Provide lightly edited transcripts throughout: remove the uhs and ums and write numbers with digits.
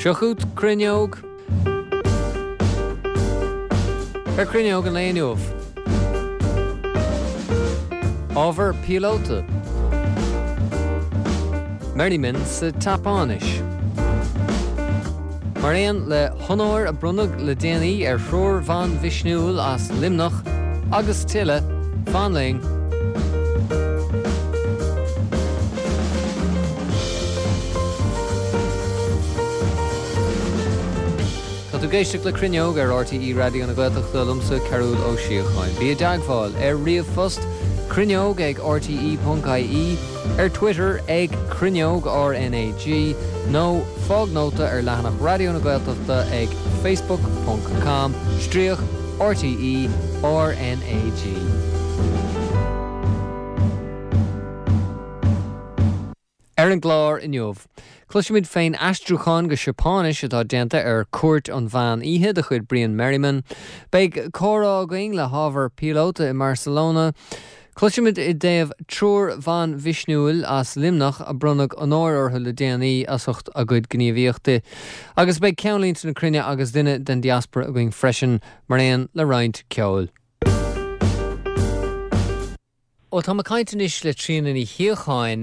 Seo chugat Cruinneog. Ar Cruinneog an lae inniu. Ábhar píolóta. Merriman sa tSeapáinis. Mar aon le honóir a bronnadh le déanaí ar thriúr bhan mhisniúil as Luimneach agus tuilleadh, fan linn. Tá tú ag éisteacht le Cruinneog ar RTÉ Raidió na Gaeltachta liomsa Cearúll Ó Síocháin. Bí i dteagmháil ar ríomhphost, cruinneog ag rte.ie, ar Twitter ag Cruinneog RnaG nó fág nóta ar leathanach Raidió na Gaeltachta ag facebook ponc com stríoc RTÉ RnaG. Ar an gclár inniu, cloisfimid fén aistriúchán go Seapáinis atá déanta ar Cúirt an Mheán Oíche de chuid Brian Merriman. Beidh comhrá againn le hábhar píolóta i mBarcelona. Cloisfimid i dtaobh triúr bhan mhisniúil as Luimneach a bronnadh onóir orthu le déanaí as ucht a gcuid gníomhaíochta. Agus beidh ceannlínte na cruinne agus duine den diaspora againn freisin, mar aon le roinnt ceoil. Bhuel, táim ag caint anois le Tríona Ní Shíocháin,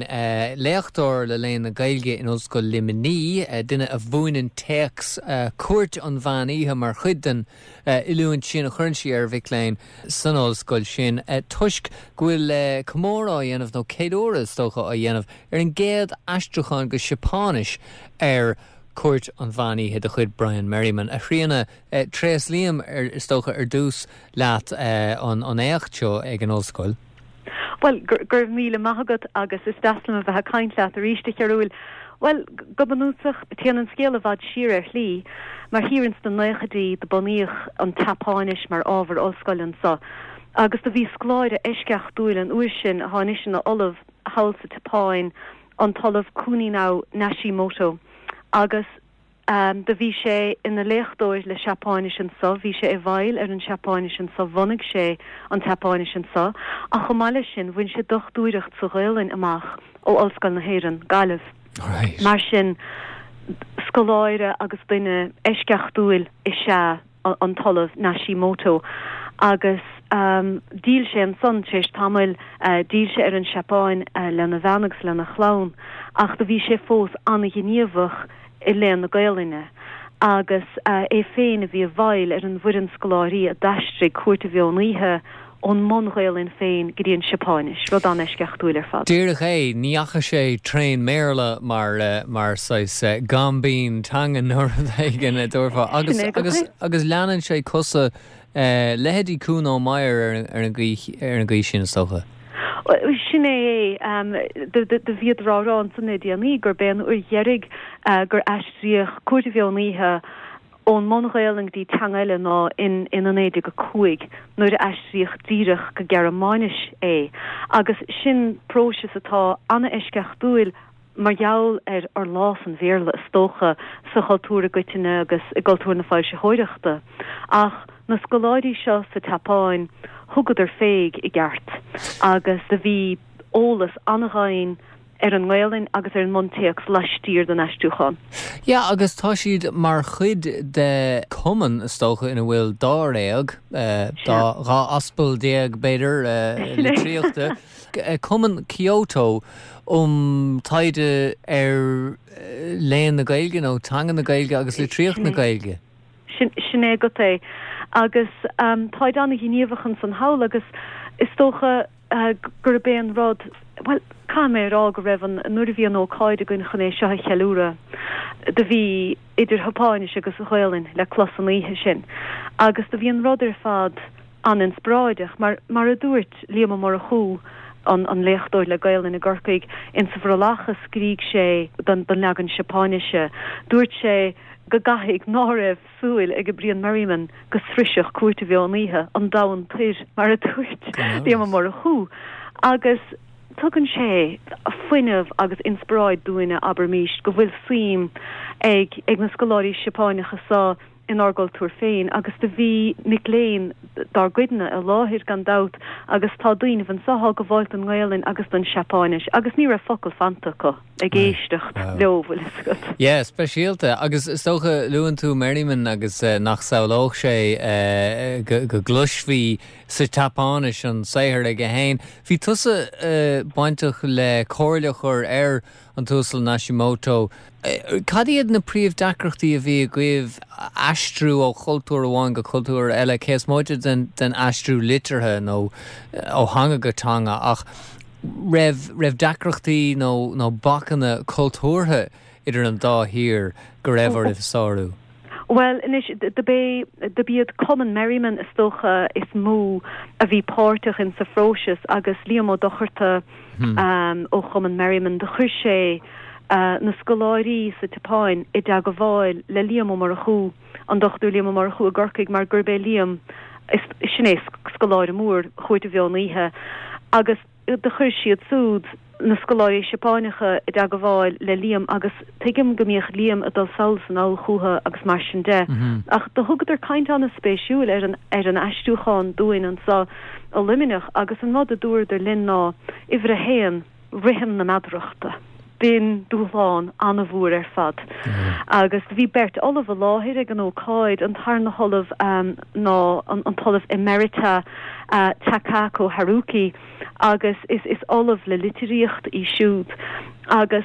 léachtóir le Léann na Gaeilge in Ollscoil Luimnigh, duine a mhúineann téacs Cúirt an Mheán Oíche mar chuid den oiliúint sin a chuireann sí ar mhic léinn san ollscoil sin, toisc go bhfuil comóradh á dhéanamh, nó ceiliúradh is dócha, á dhéanamh ar an gcéad aistriúchán go Seapáinis ar Cúirt an Mheán Oíche de chuid Brian Merriman. A Thríona, tréaslaím, is dócha, ar dtús leat an éacht seo ag an ollscoil. Bhuel, go raibh míle maith agat agus is deas liom a bheith ag caint leat arís, a Chearúil. Bhuel, go bunúsach, téann an scéal i bhfad siar ar shlí, mar thiar ins na naochaidí do bunaíodh an tSeapáinis mar ábhar ollscoile anso agus do bhí scoláire eisceachtúil an uair sin, athá anois ina ollamh thall sa tSeapáin, an tOllamh Kuninao Nashimoto, agus. Do bhí sé ina léachtóir le Seapáinis anso, bhí sé i bhfeighil ar an Seapáinis anso, bhunaigh sé an tSeapáinis anso, ach chomh maith leis sin bhain sé dochtúireacht sa Ghaolainn amach ó Ollscoil na hÉireann, Gaillimh. Mar sin, scoláire agus duine eisceachtúil is ea an tOllamh Nashimoto agus d'fhill sé ansan tar éis tamaill, d'fhill sé ar an Seapáin lena bhean agus lena chlann ach do bhí sé fós an-ghníomhach i léann na Gaolainne agus é féin a bhí i bhfeighil ar an bhfoireann scoláirí a d'aistrigh Cúirt an Mheon Oíche ón mbun-Ghaolainn féin go dtí an Seapáinis, rud an-eisceachtúil ar fad. Díreach é, ní dheachaigh sé trén mBéarla mar, mar saghas gaimbín teanga nó rud éigin a dtabharfá. Agus, agus, agus leanann sé cosa leithéidí Kuno Meyer ar an, ar an gcaoi, ar an gcaoi sin is dócha. Sin é é. Do bhíodar á rá ansan le déanaí gurb é an uair dheiridh gur aistríodh Cúirt an Mheon Oíche ón mbun-Ghaolainn go dtí teanga eile ná in in 1905 nuair a aistríodh díreach go Gearmáinis é agus sin próiseas atá an-eisceachtúil mar gheall ar fhorlás an Bhéarla is dócha sa chultúr i gcoitinne agus i gcultúr na foilsitheoireachta. Ach na scoláirí seo sa tSeapáin thugadar féig i gceart agus do bhí eolas an-ghann ar an nGaolainn agus ar an mbuntéacs laistiar den aistriúchán. Yeah, agus tá siad mar chuid de cumann, is dócha, ina bhfuil dáréag, dá, 12 aspal b'fhéidir, litríochta, Cumann Kyoto um taighde ar léann na Gaeilge nó teanga na Gaeilge agus litríocht na Gaeilge. Sin é agat é. Agus táid an-ghníomhach ansan thall agus is dócha, gurb é an rud, bhuel, caithfidh mé a rá go raibh an, nuair a bhí an ócáid againn chun é seo a cheiliúradh, do bhí idir Sheapáinis agus Ghaolainn le clos an oíche sin agus do bhí an rud ar fad an-inspioráideach mar, mar a dúirt Liam Ó Murchú, an, an léachtóir le Gaolainn i gCorcaigh, insa bhrollach a scrígh sé don, don leagan Seapáinise, dúirt sé go gcaithfidh ná raibh súil ag Brian Merriman go sroisfeadh Cúirt an Mheon Oíche an domhan toir, mar a dúirt Liam Ó Murchú, agus tugann sé fuinneamh agus inspioráid dúinne, abraimis, go bhfuil suim ag ag na scoláirí Seapáineacha seo. inár gcultúr féin agus do bhí mic léinn dár gcuidne i láthair gan dabht agus tá daoinibh anso thá ag gabháil don nGaelainn agus don Seapáinis agus ní raibh focal fanta acu ag éisteacht leo, bhfuil fhios agat. Yeah, speisialta. Agus is dócha, luann tú Merriman agus nach samhlódh sé go gcloisfí sa tSeapáinis an saothar aige féin. Bhí tusa bainteach le comhairle a chur ar an tUasal Nishimoto. Cad iad na príomhdeacrachtaí a bhí agaibh aistriú ó chultúr amháin go cultúr eile, cé is móite den aistriú liteartha nó ó theanga go teanga, ach raibh raibh deacrachtaí nó nó bacanna cultúrtha idir an dá thír go raibh oraibh a sárú? Bhuel, anois, do b'é, do b'iad Cumann Merriman, is dócha, is mó a bhí páirteach in sa phróiseas agus Liam Ó Dochartaigh ó Chumann Merriman, do chuir sé na scoláirí sa tSeapáin i dteagmháil le Liam Ó Murchú, an Dochtúir Liam Ó Murchú i gCorcaigh mar gurb é Liam, is, sin é scoláire mór Chúirt an Mheon Oíche agus. do chuir siad súd, na scoláirí Seapáineacha, i dteagmháil le Liam agus tuigim go mbíodh Liam ag dul sall is anall chúthu agus mar sin de. Ach do thugadar caint an-spéisiúil ar an ar an aistriúchán dúinn anso i Luimneach agus an rud a dúradar linn ná, uimhir a haon, rithim na meadarachta. B'in dúshlán an-mhór ar fad. Agus bhí beirt ollamh i láthair ag an ócáid, an tarna hollamh ná an tOllamh Emerita Takako Haruki agus is is ollamh le litríocht í siúd. Agus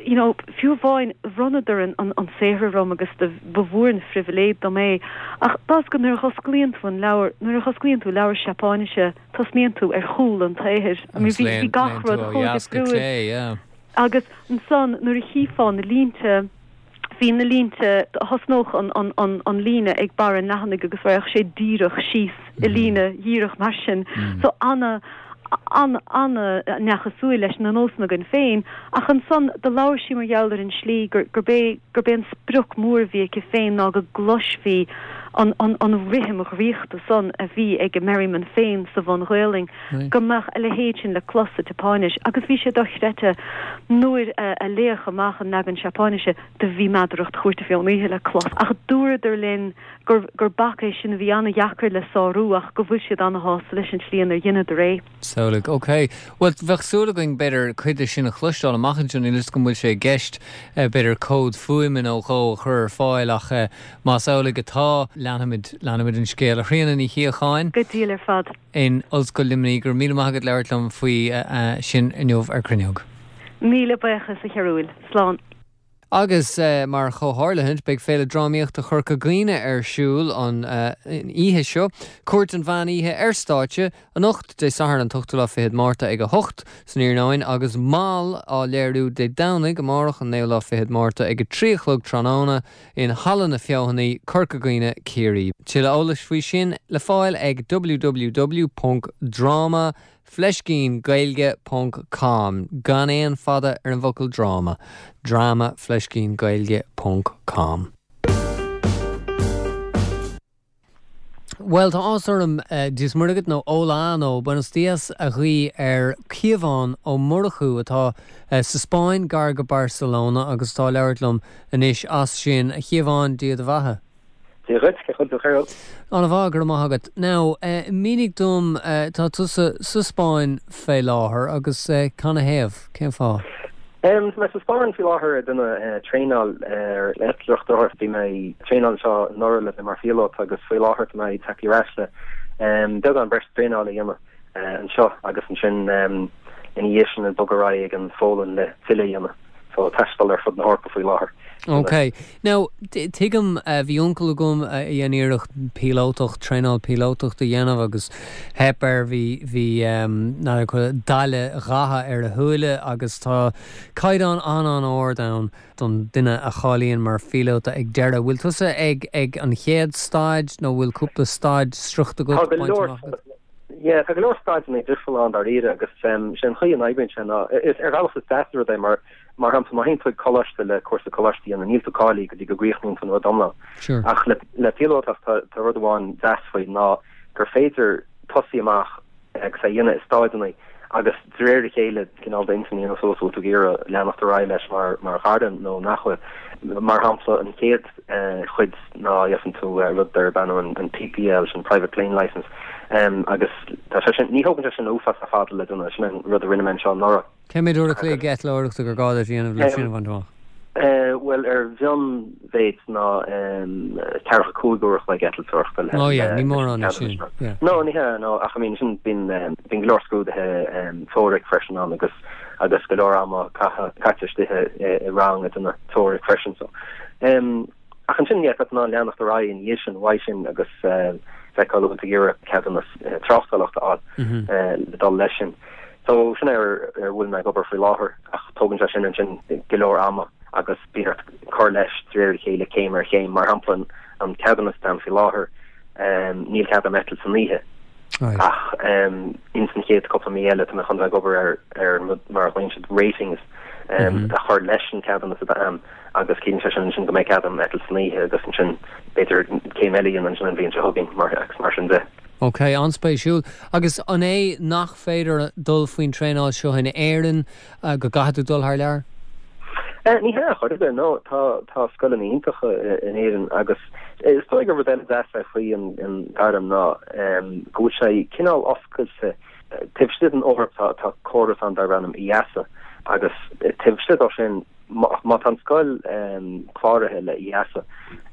you know fiú amháin bhronnadar an an saothar orm agus do ba mhór an phribhléid dom é. Ach tá 'fhios agat nuair a dh'osclaíonn tú an leabhar, nuair a dh'osclaíonn tú leabhar Seapáinise, tosnaíonn tú ar chúl an tsaothair. I mean bhí bhí gach rud chomh difriúil. Agus ansan nuair a chífeá na línte, bhí na línte, thosnódh an an an an líne ag barr an leathanaigh agus raghadh sé díreach síos i líne dhíreach mar sin. So ana ana ana neamhchosúil leis na nósanna againn féin. Ach ansan do labhair sí mar gheall ar an slí gur gurb é gurb é an sprioc mór a bhí aici féin ná go gcloisfí an an rithim dhraíochta san a bhí ag Merriman féin sa bhun-Ghaolainn, go mbeadh a leithéid sin le clos sa tSeapáinis. Agus bhí sé dochreidte, nuair a léadh amach an leagan Seapáinise, do bhí meadaracht Chúirt an Mheon Oíche le clos. Ach dúradar linn gur gur bac é sin a bhí an-dheacair le sárú ach go bhfuil siad an-shásta leis an tslí inar dheineadar é. Samhlaigh. Ok. Bhuel, bheadh súil againn, b'fhéidir, cuid de sin a chloisteáil amach anseo. Níl 'fhios agam an bhfuil sé i gceist, b'fhéidir, comhad fuaime nó dhó a chur ar fáil ach más amhlaidh atá, leanfaimid, leanfaimid an scéal. A Thríona Ní Shíocháin. Go diail ar fad. In Ollscoil Luimnigh, go raibh míle maith agat labhairt liom faoi sin inniu ar Cruinneog. Míle buíochas, a Chearúil. Slán. Agus mar chomhtharlúint, beidh Féile Drámaíochta Chorca Dhuibhne ar siúl an oíche seo, Cúirt an Mheán Oíche ar stáitse, anocht, Dé Sathairn an t-ochtú lá fichead Márta ag 8 san iarnóin agus Mall á léiriú Dé Domhnaigh, amárach, an naoú lá fichead Márta ag 3 a chlog tráthnóna in Halla na Feothanaí, Corca Dhuibhne, Ciarraí. Tuilleadh eolais faoi sin le fáil ag www.drama. Fleiscín Gaeilge ponc com, gan aon fada ar an bhfocal dráma, drama fleiscín Gaeilge ponc com. Bhuel, tá áthas orm Dia is Muire agat nó Hola nó Buenos Dias a ghuí ar Cíobhán Ó Murchú atá sa Spáinn gar go Barcelona agus atá ag labhairt liom anois as sin. A Chíobháin, Dia do bheatha. Dia dhuit, cén chaoi a bhfuil tú a Chearúil? An-mhaith, go raibh maith agat. Now, mínigh dom, tá tusa sa Spáinn fé láthair agus canathaobh? Cén fáth? Tá mé sa Spáinn faoi láthair ag déanamh traenáil ar eitleoireacht. Bhí mé ag traenáil anseo anuraidh le bheith mar phíolóta agus faoi láthair tá mé ag teacht ar ais le beagán breis traenála a dhéanamh anseo agus ansin ina dhiaidh sin ag bogadh ar aghaidh ag an Pholainn le filleadh a dhéanamh. So taisteal ar fud na hEorpa faoi láthair. Ok. Now, tuigim, bhí uncail agam a dhein iarracht píolótacht, traenáil píolótacht a dhéanamh agus theip air, bhí, bhí, n'fheadar, daille dhatha ar a shúile agus tá caighdeán an-an-ard ann don duine a cháilíonn mar phíolóta ag deireadh. Bhfuil tusa ag, ag an chéad staid nó bhfuil cúpla staid sroichte agat, bainte amach agat? Yeah, tá go leor staideanna difriúla ann dáiríre agus sé an chaoi a n-oibríonn sé ná, is ar bhealach is deas an rud é mar, mar shampla, má théann tú ag coláiste le cúrsa coláiste a dhéanamh, níl tú cáilithe go dtí go gcríochnaíonn tú an rud iomlán. Sure. Ach le, le píolótacht tá, tá rud amháin deas faoi ná gur féidir tosaí amach agus é a dhéanamh i staideanna. Agus de réir a chéile, cineál d'intinn a dhéanamh suas bhfuil tú ag iarraidh leanacht ar aghaidh leis mar mar ghairm nó nach bhfuil. Mar shampla, an chéad chuid ná gheibheann tú rud darb ainm an PPL, sin Private Plane Licence, agus tá sé sin, ní thógann sé sin uafásach fada le déanamh, sin an rud a rinne mé anseo anuraidh. Cé mhéad uair a chloig eitleoireachta gur gá duit a dhéanamh le sin a bhaint amach? Bhuel, ar mhionmhéid ná ceathracha 5 uair a chloig eitilteoireachta le Oh yeah, ní mórán é sin, yeah. No, ní hea, no, ach I mean sin bíonn bíonn go leor scrúduithe teoiric freisin ann agus agus go leor ama caite istigh i rang ag déanamh teoiric freisin so. Ach ansin, yeah, tá tú in ann leanacht ar aghaidh ina dhiaidh sin, uaidh sin agus feiceáil an bhfuil tú ag iarraidh ceadúnas tráchtálachta a fháil le dul leis sin. So sin é ar a bhfuil mé ag obair faoi láthair ach tógann sé sin ansin go leor ama agus bíonn ort cur leis de réir a chéile céim ar chéim. Mar shampla an ceadúnas atá agam faoi láthair, níl cead agam eitilt san oíche. Ach ins an chéad cúpla mí eile tá mé chun bheith ag obair ar ar an rud mar a ghlaonn siad ratings a chur leis an ceadúnas atá agam agus ciallaíonn sé sin ansin go mbeidh cead agam eitilt san oíche agus ansin b'fhéidir céim eile a dhéanamh ansin an bhliain seo chugainn mar agus mar sin de. Ok, an-spéisiúil. Agus an é nach féidir dul faoin traenáil seo in Éirinn, go gcaithfidh tú dul thar lear? Ní hea, chor ar bith, no. Tá, tá scoileanna iontacha in Éirinn agus is dóigh gur rud eile deas é faoi an gairm ná go bhfuil sé cineál oscailte. Taobh istigh den Eoraip tá, tá córas ann darb ainm EASA agus taobh istigh dó sin má tá an scoil cláraithe le EASA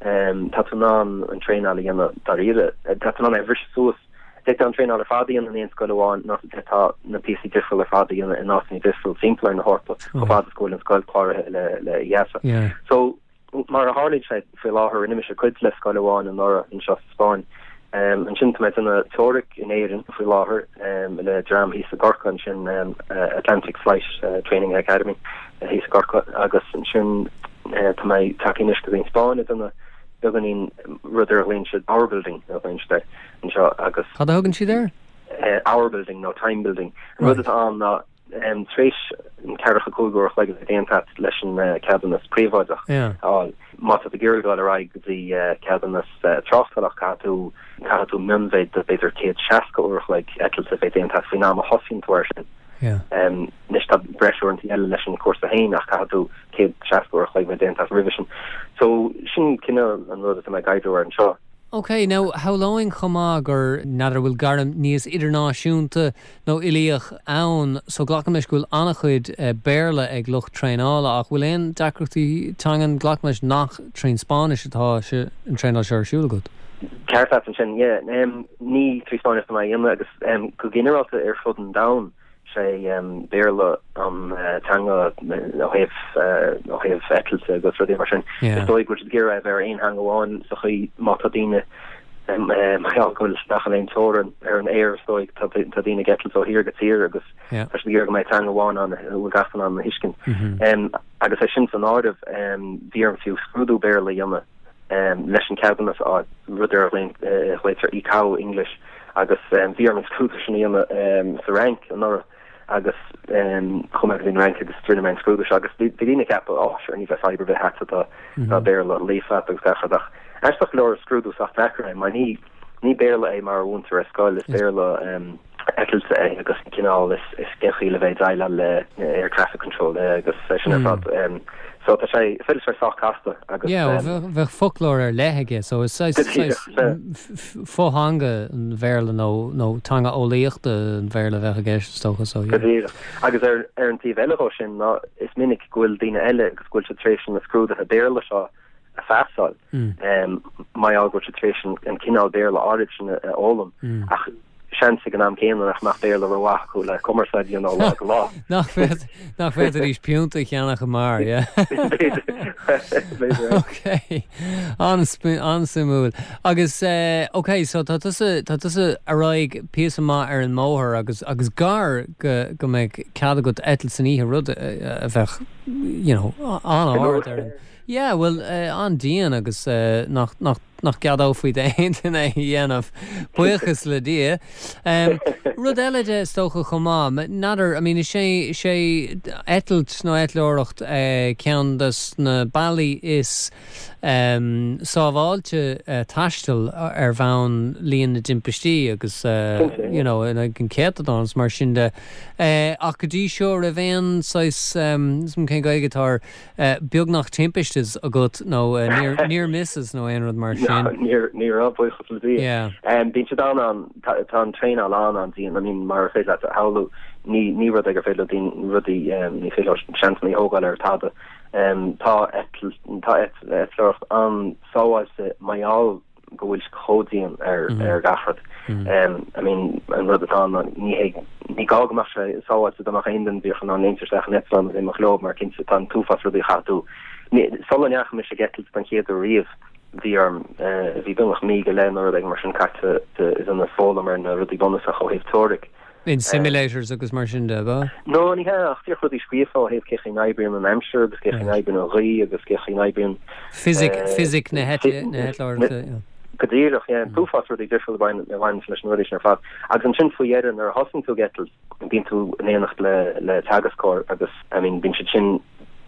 tá tú in ann an traenáil a dhéanamh dáiríre, tá tú in ann é a bhriseadh suas. D'fhéadfá an traenáil ar fad a dhéanamh in aon scoil amháin nó d'fhéadfá na píosaí difriúla ar fad a dhéanamh in áiteanna difriúla timpeall ar na hEorpa chomh fada is go bhfuil an scoil cláraithe le le EASA. So mar a tharlaíonn sé faoi láthair rinne mise cuid le scoil amháin anuraidh anseo sa Spáinn. Ansin tá mé ag déanamh teoiric in Éirinn faoi láthair le dream thíos i gCorcaigh ansin Atlantic Flight Training Academy thíos i gCorcaigh agus ansin tá mé tagtha anois go dtí an Spáinn ag déanamh beagáinín rud ar a ghlaonn siad hour building a ghlaonn siad air. anseo agus. Cad a thugann siad air? Hour building nó time building. An rud atá ann ná tar éis an ceathracha 5 uair a chloig a bheith déanta agat leis an ceadúnas príobháideach a fháil, má tá tú ag iarraidh dul ar aghaidh go dtí ceadúnas tráchtálach caithfidh tú caithfidh tú mionmhéid de b'fhéidir 160 uair a chloig eitilte a bheith déanta agat faoin am a thosaíonn tú air sin. Anois tá breis uaireanta eile leis an chúrsa féin ach caithfidh tú 160 uair a chloig a bheith déanta agat roimhe sin. So sin cineál an rud atá mé ag oibriú air anseo. Ok, now shamhlóinn chomh maith gur, n'fheadar, bhfuil gairm níos idirnáisiúnta nó uilíoch ann, so glacaim leis go bhfuil an-chuid Béarla ag lucht traenála, ach bhfuil aon deacrachtaí teangan, glacaim leis nach trín Spáinnis atá an traenáil seo ar siúl agat? Ceart leat ansin, yeah. Ní trí Spáinnis atá mé á dhéanamh agus go ginearálta ar fud an domhain, sé Béarla an teanga ó thaobh ó thaobh eitilte agus rudaí mar sin. Is dóigh go bhfuil siad ag iarraidh a bheith ar aon theanga amháin sa chaoi má tá daoine mar gheall go bhfuil nach bhfuil aon teorainn ar an aer is dóigh tá tá daoine ag eitilt ó thír go tír agus tá siad ag iarraidh go mbeidh teanga amháin ann a bhfuil gach duine in ann a thuiscint. Agus é sin san áireamh bhí orm fiú scrúdú Béarla a dhéanamh leis an ceadúnas a fháil, rud ar a ghlaoitear ICAO English, agus bhí orm an scrúdú sin a dhéanamh sa Fhrainc anuraidh agus chuaigh mé go dtí an Fhrainc agus rinne mé an scrúdú seo agus bhí daoine ag ceapadh, oh sure ní bheidh fadhb ar bith agat tá tá Béarla líofa agat agus gach rud ach aisteach go leor is scrúdú sách deacair é mar ní ní Béarla é mar a mhúintear ar scoil, is Béarla eitilte é agus cineál is is cén chaoi le bheith ag déileáil le air traffic control agus é sin ar fad. So tá sé is féidir sé sách casta agus. Yeah, well bheadh foclóir ar leith aige so is saghas fotheanga an Bhéarla nó nó teanga eolaíochta an Bhéarla a bheadh i gceist is dócha so yeah. Go díreach. Agus ar ar an taobh eile dhó sin ná is minic go bhfuil daoine eile agus go bhfuil siad tar éis na scrúduithe Béarla seo a phasáil. Mar gheall go bhfuil siad tar éis an cineál Béarla áirid sin a fhoghlaim ach seans ag an am céanna nach mbeadh Béarla rómhaith acu le cumarsáid a dhéanamh ó lá go lá. Nach bhféadfaidís piúnta a cheannach i mbeár, yeah? B'fhéidir. B'fhéidir. Ok. An-suimiúil. Agus, ok, so tá tusa, tá tusa ar aghaidh píosa maith ar an mbóthar agus, agus gar go, go mbeadh cead agat eitilt san oíche, rud a bheadh, you know, an-ard ar an, Yeah, bhuel, an-dian agus nach, nach. nach gceadófaí d'aon duine é a dhéanamh, buíochas le Dia. Rud eile de, is dócha, chomh maith, n'fheadar, I mean, is é, is é eitilt nó eitleoireacht ceann de na bealaí is sábháilte taistil ar bhonn líon na dtimpistí agus, you know, in aghaidh an chéatadán is mar sin de. Ach go dtí seo, raibh aon saghas, cén Ghaeilge atá air, beagnach timpiste agat nó near misses nó aon rud mar sin? Ní raibh, buíochas le Dia. Bíonn siad an, tá an traenáil an-an-dian, I mean mar a féidir leat a shamhlú, ní ní rud é gur féidir le daoine rudaí, ní féidir leo seansanna a thógáil ar tada. Tá tá eitleoireacht an-sábháilte mar gheall go bhfuil sé chomh dian ar ar gach rud. I mean an rud atá ann ní hé ní gá go mbeadh sé sábháilte dá mbeadh aon duine díreach in ann léimt isteach in eitleán agus imeacht leo mar cinnte tá an t-uafás rudaí a chaithfidh tú. Sula ndeachaigh mise ag eitilt don chéad uair riamh bhí orm bhí beagnach mí go leith nó rud éigin mar sin caite ag foghlaim ar na rudaí bunúsacha ó thaobh teoiric. In simulators agus mar sin de, ab ea? No, ní hea, ach díreach rudaí scríofa ó thaobh cé chaoi n-oibríonn an aimsir agus cé chaoi n-oibríonn an ghaoth agus cé chaoi n-oibríonn. Fisic, fisic na heitleoireachta, yeah. Go díreach, yeah. An t-uafás rudaí difriúla a bhaineann leis na rudaí sin ar fad. Agus ansin faoi dheireadh nuair a thosaíonn tú ag eitilt, bíonn tú in éineacht le le teagascóir agus, I mean, bíonn siad sin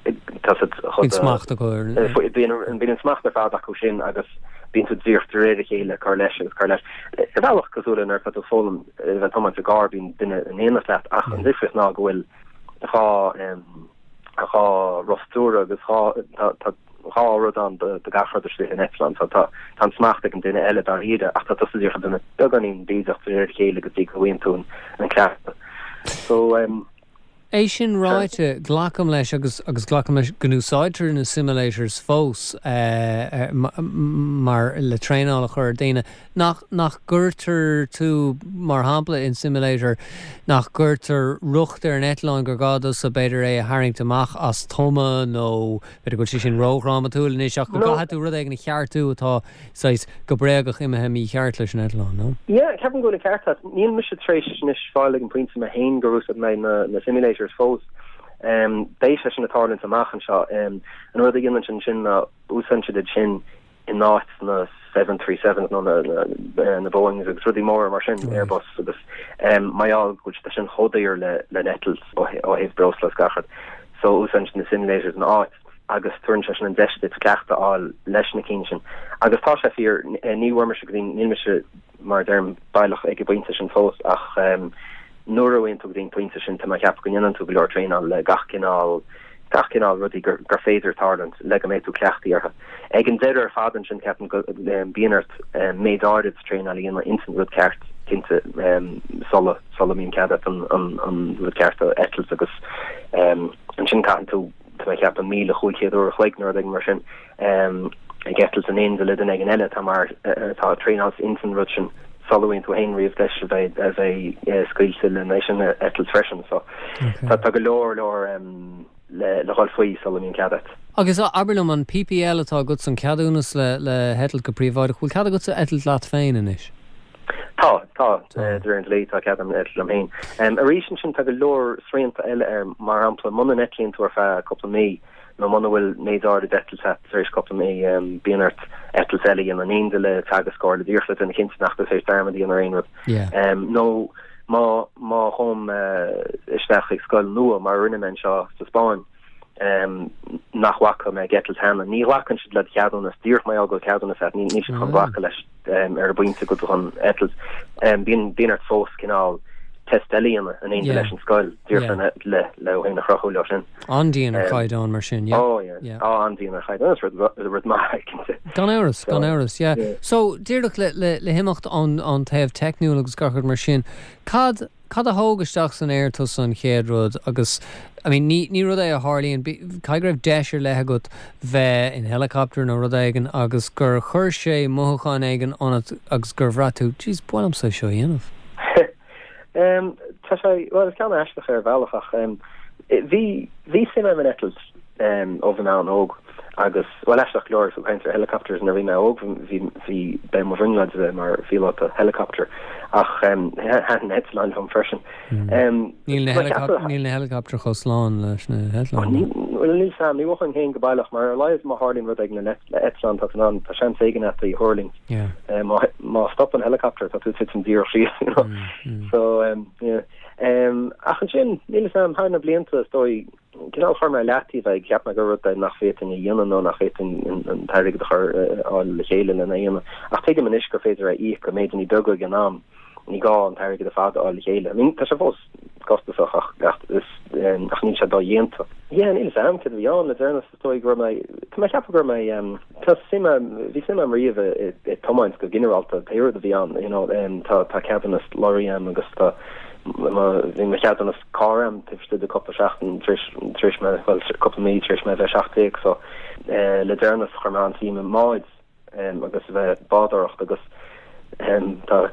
Tá siad chomh. Bíonn smacht acu ar. Bíonn bíonn an smacht ar fad acu sin agus bíonn tú díreach de réir a chéile ag cur leis agus cur leis. Ar bhealach cosúil le nuair atá tú ag foghlaim a bheith ag tiomáint i gcarr bíonn duine in éineacht leat ach an difríocht ná go bhfuil 2 2 roth stiúrtha agus 2 tá tá 2 rud ann do do gach rud istigh in eitleán so tá tá an smacht ag an duine eile dáiríre ach tá tusa díreach ag déanamh beagáinín bídeach de réir a chéile go dtí go bhfaigheann tú an an cleachtadh. So. É sin ráite, glacaim leis, agus agus glacaim leis go n-úsáidtear na simulators fós mar le traenáil a chur ar daoine, nach nach gcuirtear tú, mar shampla, in simulator, nach gcuirtear riocht ar an eitleán gur gá duitse b'fhéidir é a tharraingt amach as tuama nó b'fhéidir go bhfuil sé sin ródhrámatúil anois ach go gcaithfidh tú rud éigin a cheartú atá saghas, go bréagach imithe mícheart leis an eitleán, nó? Yeah, ceapaim go bhfuil an ceart agat. Níl mise tar éis anois fáil ag an bpointe mé féin gur úsáid mé na na simulators fós. Beidh sé sin ag tarlúint amach anseo. An rud a dhéanann siad ansin ná úsáideann siad iad sin in áit na 737s nó na na na Boeings agus rudaí móra mar sin, Airbus agus mar gheall go bhfuil siad sin chomh daor le le n-eitilt ó thaobh breosla is gach rud. So úsáideann siad na simulators ina áit. agus tabharann sé sin an deis duit cleachtadh a fháil leis na cinn sin. Agus tá sé fíor, ní bhfuair mise go dtí, níl mise, mar a deirim, baileach ag an bpointe sin fós, ach nuair a bhíonn tú go dtí an pointe sin, tá mé ag ceapadh go ndéanann tú go leor traenáil le gach cineál, gach cineál rudaí gur, gur féidir tarlúint le go mbeidh tú cleachtaithe orthu. Ag an deireadh ar fad ansin, ceapaim go mbíonn ort méid áirid traenáil a dhéanamh ins an rud ceart, cinnte, sula, sula mbíonn cead agat an, an, an rud ceart a eitilt agus ansin caitheann tú, tá mé ag ceapadh 1,500 uair a chloig nó rud éigin mar sin, ag eitilt in éindí le duine éigin eile atá mar, atá ag traenáil ins an rud sin sula bhfaigheann tú féin riamh deis a bheith, a bheith scaoilte len é sin a eitilt freisin. So tá, tá go leor, leor le, le dhul faoi sula mbíonn cead agat. Agus abair liom, an PPL atá agatsa, an ceadúnas le, le heitilt go príobháideach, bhfuil cead agatsa eitilt leat féin anois? Tá, tá, de réir an dlí, tá cead agam eitilt liom féin. Arís ansin, tá go leor srianta eile air, mar shampla, muna n-eitlíonn tú ar feadh cúpla mí, nó muna bhfuil méid áirid eitilte agat tar éis cúpla mí, bíonn ort eitilt eile a dhéanamh in éindí le teagascóir, le díreach le duine cinnte nach bhfuil tar éis dearmad a dhéanamh ar aon rud. Nó má, má ghabhaim isteach chuig scoil nua, mar a rinne mé anseo sa Spáinn, nach bhfaca mé ag eitilt cheana. Ní ghlacann siad le do cheadúnas, díreach mar gheall go bhfuil ceadúnas agat, níl siad chun glacadh leis ar an bpointe go bhfuil tú chun eitilt. Bíonn bíonn ort fós cineál test eile a dhéanamh in éindí leis an scoil, díreach le le le thú féin a chruthú leo sin. An-dian ar chaighdeán mar sin, yeah. Oh yeah, yeah. Oh, an-dian ar chaighdeán, is rud rud maith, cinnte. Gan amhras, gan amhras, yeah. So, díreach le le le himeacht ón ón taobh teicniúil agus gach rud mar sin, cad Cad a thóg isteach san aer tusa an chéad rud agus, I mean, ní, ní rud é a tharlaíonn, caithfidh go raibh deis ar leith agat bheith in helicopter nó rud éigin agus gur chuir sé mothúcháin éigin ionat agus gur bhraith tú, jeez, ba mhaith liomsa é seo a dhéanamh. Em, tá sé, bhuel, is ceann aisteach ar bhealach ach, em, bhí, bhí suim agam in eitilt. ó bhí mé an-óg agus, bhuel, aisteach go leor, ag caint ar helicopters, nuair a bhí mé óg bhí, bhí, b'é mo bhrionglóid a bheith mar phíolóta helicopter ach thaitin eitleáin liom freisin. Níl na helicopter, níl na helicopter chomh slán leis na heitleáin. Bhuel, níl 'fhios a'm, ní mhothóinn féin go baileach, mar ar a laghad má tharlaíonn rud éigin le eitleán, tá tú in ann, tá seans éigin a't thuirlingt. Má, má stopann helicopter, tá tú ag titim díreach síos, you know. So, yeah. Ach ansin, níl 'fhios a'm, thar na blianta, is dóigh, cineál chuir mé i leataobh é, cheap mé gur rud é nach bhféadfainn a dhéanamh nó nach bhféadfainn an t-airgead a chur, a fháil le chéile lena dhéanamh. Ach tuigim anois gur féidir é a íoc i méideanna beaga ag an am, ní gá an t-airgead ar fad a fháil le chéile. I mean, tá sé fós costasach ach, ach is, ach níl sé dodhéanta. Yeah, níl 'fhios a'm céard a bhí ann le deireanas, is dóigh go raibh mé, tá mé ag ceapadh go raibh mé, tá suim a'm, bhí suim a'm riamh i, i tiomáint go ginearálta, pé rud a bhí ann, you know, tá, tá ceadúnas lorry a'm agus tá, mo, bhí mo cheadúnas carr a'm taobh istigh de cúpla seachtain tar éis, tar éis mé, bhuel, cúpla mí tar éis mé a bheith 17 so, le deireanas chuir mé an-suim i mbáid. agus a bheith ag bádóireacht agus tá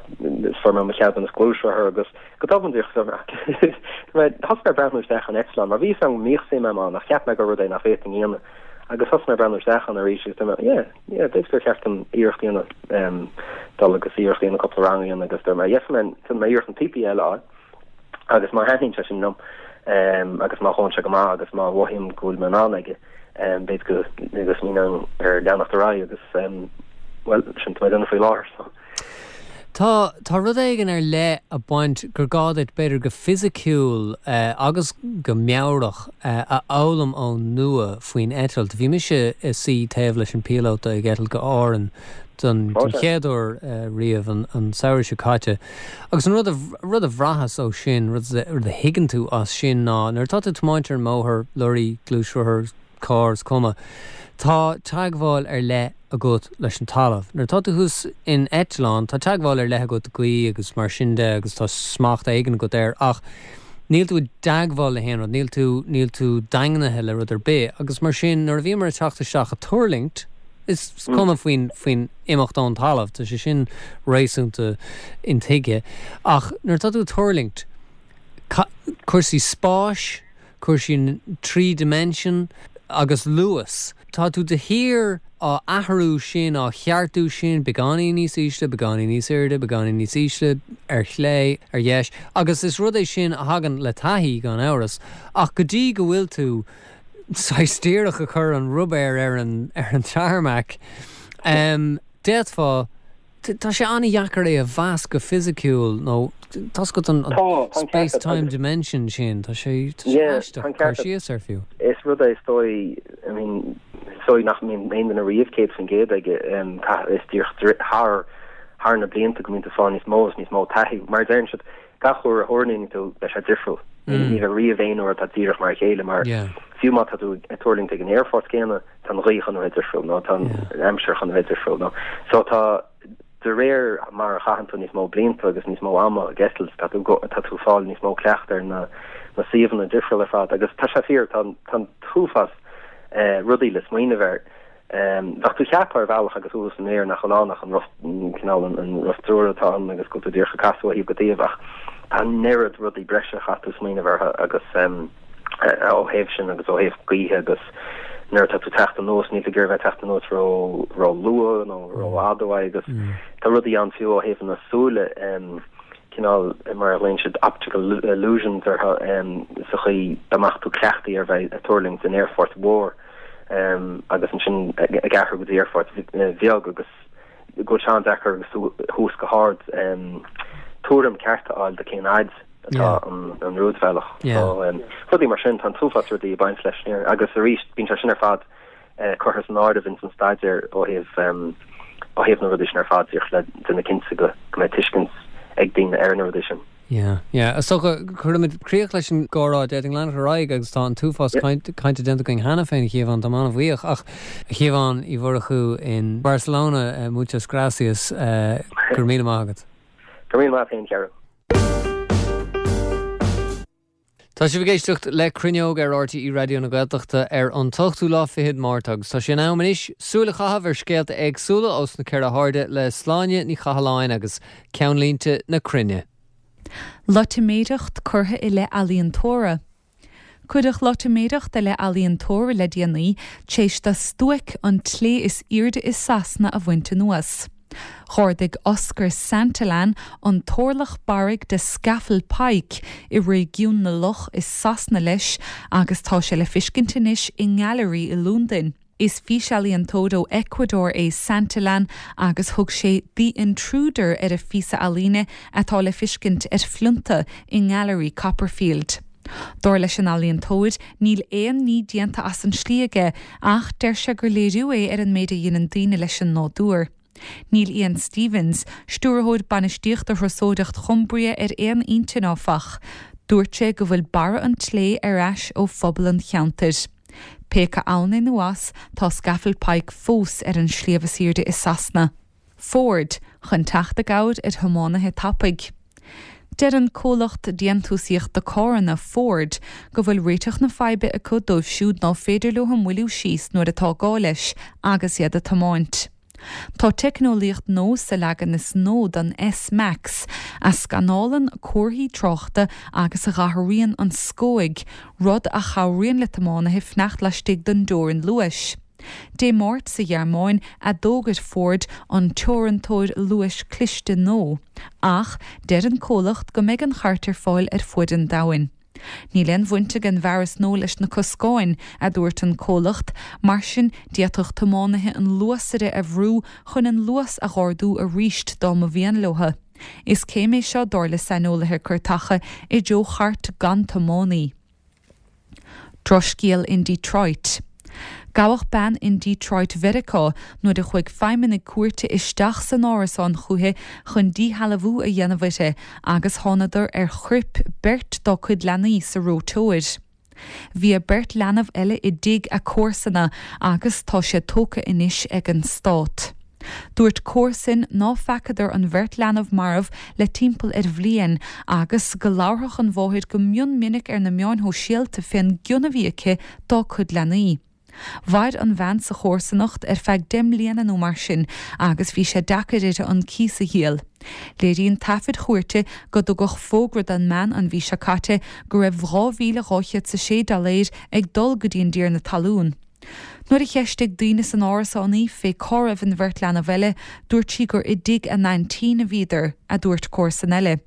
fuair mé mo cheadúnas gluaisrothair agus go tobann díreach thosaigh mé ag breathnú isteach in eitleán mar bhí fhios a'm go mbíodh suim a'm ann ach cheap mé gur rud é nach bhféadfainn a dhéanamh agus thosaigh mé ag breathnú isteach ann arís agus dúirt mé yeah yeah b'fhéidir gur cheart dom iarracht a dhéanamh dul agus iarracht a dhéanamh cúpla rang a dhéanamh agus dúirt mé yeah déanfaidh mé iarracht an PPL a fháil Agus má thaitníonn sé sin liom, agus má ghabhann sé go maith agus má mhothaím go bhfuil mé in ann aige, b'fhéidir go go smaoineoinn ar leanacht ar aghaidh agus, bhuel, sin atá mé ag déanamh faoi láthair, so. Tá, tá rud éigin ar leith ag baint gur gá duit, b'fhéidir go fisiciúil agus go meabhrach, a fhoghlaim ón nua faoin eitilt. Bhí mise i suí taobh leis an bpíolóta ag eitilt go Árainn don chéad uair riamh an samhradh seo caite. Agus an rud a, rud a bhraitheas ó sin, rud a, rud a thuigeann tú as sin ná nuair atá tú ag tiomáint ar an mbóthar, lorry, gluaisrothar, carr, is cuma, tá teagmháil ar leith agat leis an talamh. Nuair atá tú thuas in eitleán, tá teagmháil ar leith agat le gaoth agus mar sin de agus tá smacht éigin agat air ach níl tú i dteagmháil le haon rud, níl tú, níl tú daingnithe le rud ar bith agus mar sin nuair a bhíomar ag teacht isteach ag tuirlingt, Is cuma faoin faoin imeacht ón talamh, tá sé sin réasúnta intuigthe. Ach nuair atá tú ag tuirlingt, cúrsaí spáis, cúrsaí trí dimension agus luas, tá tú de shíor á athrú sin, á cheartú sin, beagáinín níos ísle, beagáinín níos airde, beagáinín níos ísle, ar chlé, ar dheis. Agus is rud é sin a thagann le taithí, gan amhras, ach go dtí go bhfuil tú saghas díreach ag cur an ruibéir ar an ar an tarmac. D'fhéadfá, tá sé an-dheacair é a mheas go fisiciúil nó tá's agat an space time dimension sin, tá sé tá sé aisteach cur síos air fiú. Is rud é is dóigh, I mean, is dóigh nach mbíonn aon duine riamh 100% aige, is díreach thar thar na blianta go mbíonn tú ag fáil níos mó is níos mó taithí. Mar a deireann siad, Gach uair a thuirlingíonn tú, beidh sé difriúil. Ní bheidh riamh aon uair atá díreach mar a chéile mar fiú má tá tú ag tuirlingt ag an aerfort céanna, tá an ghaoth chun a bheith difriúil nó tá an aimsir chun a bheith difriúil nó so tá de réir mar a chaitheann tú níos mó blianta agus níos mó ama ag eitilt, tá tú tá tú ag fáil níos mó cleacht ar na na suíomhanna difriúil ar fad agus tá sé fíor, tá tá an t-uafás rudaí le smaoineamh air. Bheadh tú ag ceapadh ar bhealach agus tú thuas san aer nach bhfuil ann ach an roth, cineál an roth triúir atá ann agus go bhfuil tú díreach ag casadh ó thaobh go taobh ach tá an oiread rudaí breise a chaithfidh tú smaoineamh orthu agus ó thaobh sin agus ó thaobh gaoithe agus nuair atá tú ag teacht anuas níl tú ag iarraidh bheith ag teacht anuas ró ró luath nó ró fhada uaidh agus tá rudaí ann fiú ó thaobh na súile cineál mar a ghlaonn siad optical illusions orthu sa chaoi dá mbeadh tú cleachtaithe ar bheith ag tuirlingt in aerfort mhór. agus ansin ag athrú go dtí aerfort bheag agus go bhfuil sé an-deacair agus tú thuas go hard tuairim ceart a fháil de cén fhaid atá an rúidbhealach. So rudaí mar sin, tá an t-uafás rudaí ag baint leis agus arís bíonn sé sin ar fad curtha san áireamh ins an staidéar ó thaobh ó thaobh na rudaí sin ar fad díreach le déanamh cinnte go mbeidh tuiscint ag daoine ar na rudaí sin. Yeah, yeah. Is dócha, cuirfimid críoch leis an gcomhrá, d'fhéadfainn leanacht ar aghaidh agus tá an t-uafás cainte déanta againn cheana féin, a Shiobhán, táim an-bhuíoch. Ach, a Shiobhán Uí Mhurchú in Barcelona, muchas gracias, go raibh míle maith agat. Go raibh míle maith agat féin, a Chearúil. Tá sibh ag éisteacht le Cruinneog ar RTÉ Raidió na Gaeltachta ar an t-ochtú lá fichead Márta agus tá sé in am anois súil a chaitheamh ar scéalta éagsúla ós na ceithre hairde le Sláine Ní Chathalláin agus Ceannlínte na Cruinne. Loitiméireacht curtha i leith ealaíontóra. Cuireadh loitiméireacht i leith ealaíontóra le déanaí, tar éis do stuaic an tslé is airde i Sasana a bhaint anuas. Dh'ardaigh Oscar Santillan an t-orlach barraigh de Scafell Pike i réigiún na Loch i Sasana leis agus tá sé le fiscint anois i ngailearaí i Londain. Is físealaíontóir ó Ecuador é Santillan agus thug sé 'The Intruder' ar a phíosa ealaíne atá le fiscint ar phlionta i nGailearaí Copperfield. Dar leis an ealaíontóir, níl aon ní déanta as an slí aige ach deir sé gur léiriú é ar an méid a dheineann daoine leis an nádúr. Níl Ian Stevens, Stiúrthóir Bainistíochta Thurasóireacht Chumbria ar aon intinn áfach. Dúirt sé go bhfuil barra an tslé ar ais ó phobal an cheantair. Pé acu ann é nó as, tá Scafell Pike fós ar an sliabh is aoirde i Sasana. Ford, chun teacht i gcabhair ar thiománaithe tapaidh. Deir an comhlacht déantúsaíochta carranna, Ford, go bhfuil réiteach na faidhbe acu dóibh siúd ná féidir leo moilliú síos nuair atá gá leis agus iad ag tiomáint. Tá teicneolaíocht nua sa leagan is nua den S-Max a scanálann comharthaí tráchta agus a dh'athraíonn an scóig, rud a chabhraíonn le tiománaithe fanacht laistigh den dteorainn luais. Dé Máirt sa Ghearmáin a d'fhógair Ford an teorantóir luais cliste nua, ach deir an comhlacht go mbeidh an chairt ar fáil ar fuaid an domhain. Níl aon bhaint ag an bhfearas nua leis na coscáin, a dúirt an comhlacht, mar sin d'fhéadfadh tiománaithe an luasaire a bhrú chun an luas a dh'ardú arís dá mba mhian leo. Is céim é seo, dar le saineolaithe cairteacha, i dtreo chairt gan tiománaí. Drochscéal in Detroit. Gabhadh bean in Detroit Mheiriceá nuair a chuaigh feidhmeannaigh cúirte isteach san árasán chúithi chun díshealbhú a dhéanamh uirthi agus thánadar ar choirp beirt dá cuid leanaí sa reoiteoir. Bhí a beirt leanbh eile i dtigh a comharsana agus tá siad tógtha anois ag an stát. Dúirt comharsain ná feacadar an bheirt leanbh marbh le timpeall ar bhliain agus go labharfadh an mháthair go mion minic ar na meáin shóisialta fén gcion a bhí aici dá cuid leanaí. Mhair an bhean sa chomharsanacht ar feadh 10 mbliana nó mar sin agus bhí sé deacair uirthi an cíos a dhíol. Léiríonn taifid chúirte go dtugadh fógra don mbean an mhí seo caite go raibh 2,206 doiléir ag dul go dtí an dtiarna talún. Nuair a cheistigh daoine san árasán í fé cá raibh an bheirt leanbh eile, dúirt sí gur i dtigh a n-aintín a bhíodar, a dúirt comharsan eile.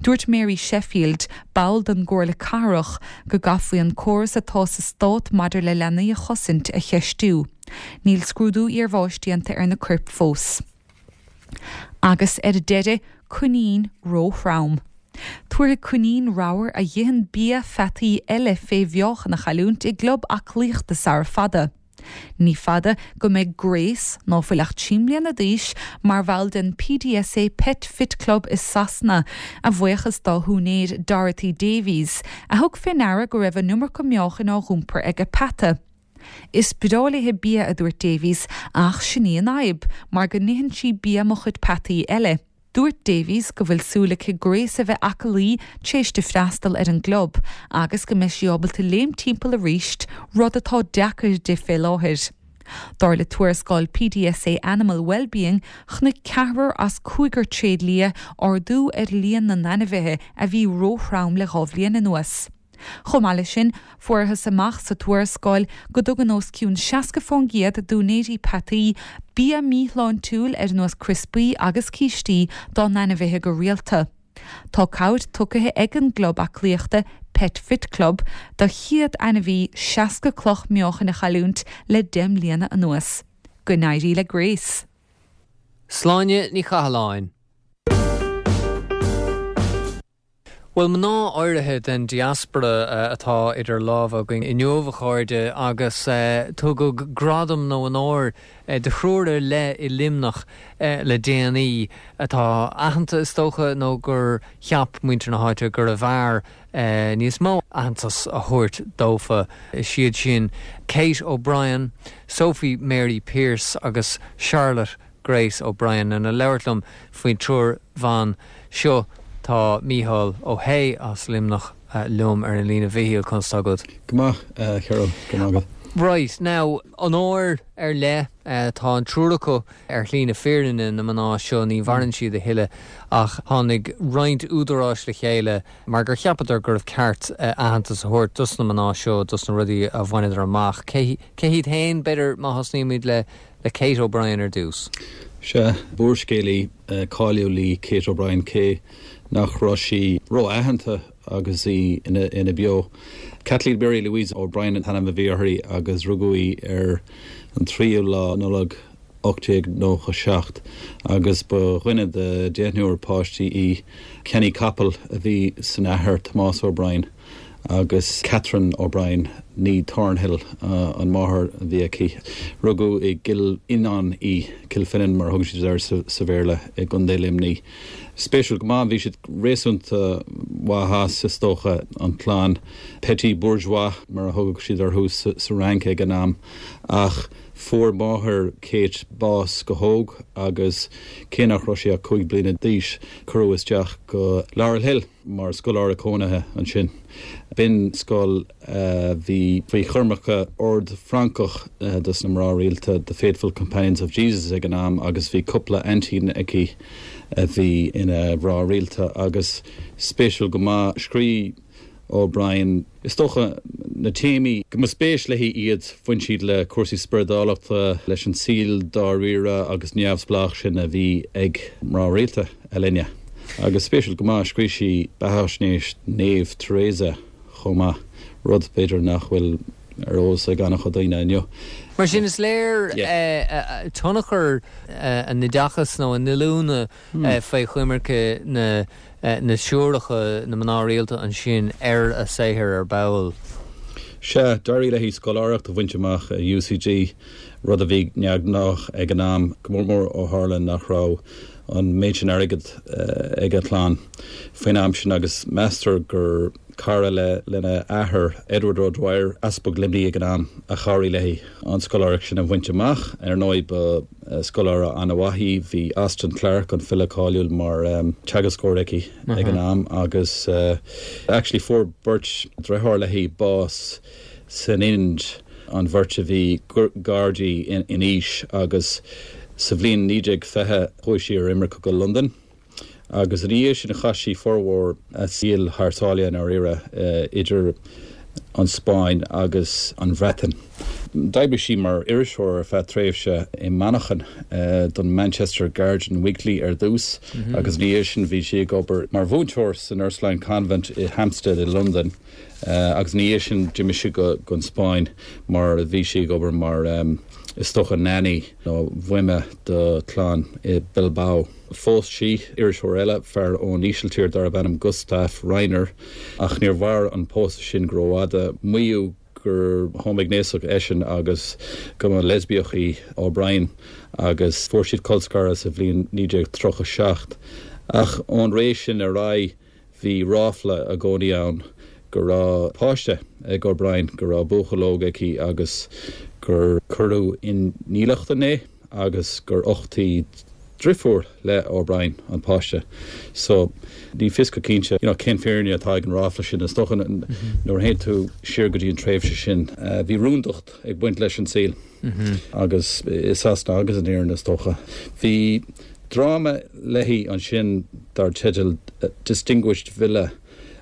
Dúirt Mary Sheffield, ball den gComhairle Cathrach, go gcaithfí an córas atá sa stát maidir le leanaí a chosaint a cheistiú. Níl scrúdú iarbháis déanta ar na coirp fós. Agus ar deireadh, coinín ró-throm. Tabharfaidh coinín ramhar a dh'itheann bia pheataí eile fé mheáchan a chailliúint i gclub aclaíochta sara fada. Ní fada go mbeidh Grace, ná fuil ach 3 mbliana d'aois, mar bhall den PDSA Pet Fit Club i Sasana, a bhuíochas dá húinéir Dorothy Davies, a thug fé ndeara go raibh an iomarca meáchain á dh'iompar ag a peata. Is breá léithe bia, a dúirt Davies, ach sin í an fhadhb, mar go n-itheann sí bia mo chuid peataí eile. Dúirt Davies go bhfuil súil aici Grace a bheith aclaí tar éis di freastal ar an gclub agus go mbeidh sí ábalta léim timpeall arís, rud atá deacair di fé láthair. Dar le tuarascáil PDSA Animal Wellbeing, chonaic ceathrar as cúigear tréidlia ardú ar líon na n-ainmhithe a bhí róthrom le dha bhliain anuas. Chomh maith leis sin, fuarthas amach sa tuarascáil go dtugann os cionn 60% d'úinéirí peataí bia míshláintiúil ar nós criospaí agus cístí dá n-ainmhithe go rialta. Tá cabhair tugtha ag an gclub aclaíochta Pet Fit Club do chéad ainmhí 60 cloch meáchain a chailliúint le 10 mbliana anuas. Go n-éirí le Grace! Sláine Ní Chathalláin. Bhuel, mná áirithe den diaspora atá idir lámha againn inniu, a chairde, agus tugadh gradam nó onóir do thriúr ar leith i Luimneach le déanaí atá aitheanta, is dócha, nó gur cheap muintir na háite gurbh fhearr níos mó aitheantas a thabhairt dófa. Is iad sin Kate O'Brien, Sophie Mary Pierce agus Charlotte Grace O'Brien. Lena labhairt liom faoin triúr bhan seo tá Mícheál Ó hAodha as Luimneach liom ar an líne. A Mhíchíl, conas tá agat? Go maith, a Cheryl, go maith agat. Right, now, onóir ar leith, tá an triúr acu ar shlí na fírinne, na mná seo, ní mhaireann siad a thuilleadh, ach tháinig roinnt údaráis le chéile mar gur cheapadar gurbh ceart aitheantas a thabhairt dos na mná seo, dos na rudaí a bhaineadar amach. Cé hiad féin, b'fhéidir, má thosnaímid le le Kate O'Brien ar dtús. Sea, b'úrscéalaí cáiliúil í Kate O'Brien cé nach raibh sí ró-aitheanta agus í ina beo. Kathleen Mary Louise O'Brien an t-ainm a bhí uirthi agus rugadh í ar an tríú lá Nollag 1897 agus ba dhuine de deichniúr páistí í. Ceannaí capall a bhí san athair, Tomás O'Brien, agus Catherine O'Brien, née Thornhill, an mháthair a bhí aici. Rugadh i gCill Fhionnáin í, Kilfinane mar a thugann siad air sa Bhéarla, i gContae Luimnigh. Spéisiúil go maith, bhí siad réasúnta maith as, is dócha, an chlann. Petits bourgeois mar a thugadh siad orthu sa Fhrainc ag an am, ach fuair máthair Kate bás go hóg agus cé nach raibh sí ach 5 bliana d'aois, cuireadh isteach go Laurel Hill mar scoláire cónaithe ansin. B'in scoil a bhí faoi choimirce ord Francach dos na mná rialta, The Faithful Companions of Jesus ag an am agus bhí cúpla aintín aici a bhí ina mná rialta agus spéisiúil go maith, scríobh O'Brien, Is dócha, na téamaí go mba spéis léi iad, bhain siad le cúrsaí spioradálachta, leis an saol dáiríre agus neamhspleách sin a bhí ag mná rialta a linne. Agus spéisiúil go maith, scríobh sí beathaisnéis Naomh Teresa chomh maith, rud, b'fhéidir, nach bhfuil ar eolas ag an-chuid daoine inniu. Mar sin, is léir tionchar a n-oideachais nó a n-oiliúna faoi choimirce na na siúracha, na mná rialta ansin ar a saothar ar ball. Sea, d'éirigh léi scoláireacht a bhaint amach i UCD, rud a bhí neamhghnách ag an am, go mór mór ó tharla nach raibh an méid sin airgid ag a clann faoin am sin agus meastar gur cara lena athair, Edward O'Dwyer, Easpag Luimnigh ag an am, a chabhraigh léi an scoláireacht sin a bhaint amach. Ar ndóigh, ba. Scoláire an-mhaith í. Bhí Austin Clarke, an file cáiliúil, mar teagascóir aici ag an am agus actually fuair beirt driotháir léi bás san Ind, an bheirt a bhí gar di in aois agus sa bhliain 1920 chuaigh sí ar imirce go Londain. Agus ina dhiaidh sin chaith sí formhór a saoil thar sáile i ndáiríre, idir an Spáinn agus an Bhreatain. D'oibrigh sí mar iriseoir ar feadh tréimhse i Manchain don Manchester Guardian Weekly ar dtús agus ina dhiaidh sin bhí sí ag obair mar mhúinteoir san Ursuline Convent i Hampstead i Londain agus ina dhiaidh sin d'imigh sí go an Spáinn mar bhí sí ag obair mar is dócha nanny nó buime do chlann i Bilbao. Phós sí iriseoir eile, fear ón Ísiltír darb ainm Gustaaf Reiner, ach níor mhair an pósadh sin go rófhada. Maíodh gur homaighnéasach eisean agus go mba leispiach í O'Brien agus fuair siad colscaradh sa bhliain 1937. Ach ón ré sin ar aghaidh, Bhí ráfla i gcónaí ann go raibh páiste ag O'Brien, go raibh buachaill óg aici agus gur cuireadh i ndílleachtan é agus gur uchtaigh driofúr le O'Brien an páiste. So, ní fios go cinnte, you know, cén fírinne atá ag an ráfla sin. Is dócha nuair a théann tú siar go dtí an tréimhse sin, bhí rúndacht ag baint leis an saol. Agus i Sasana agus in Éirinn, is dócha. Bhí dráma léi ansin dar teideal Distinguished Villa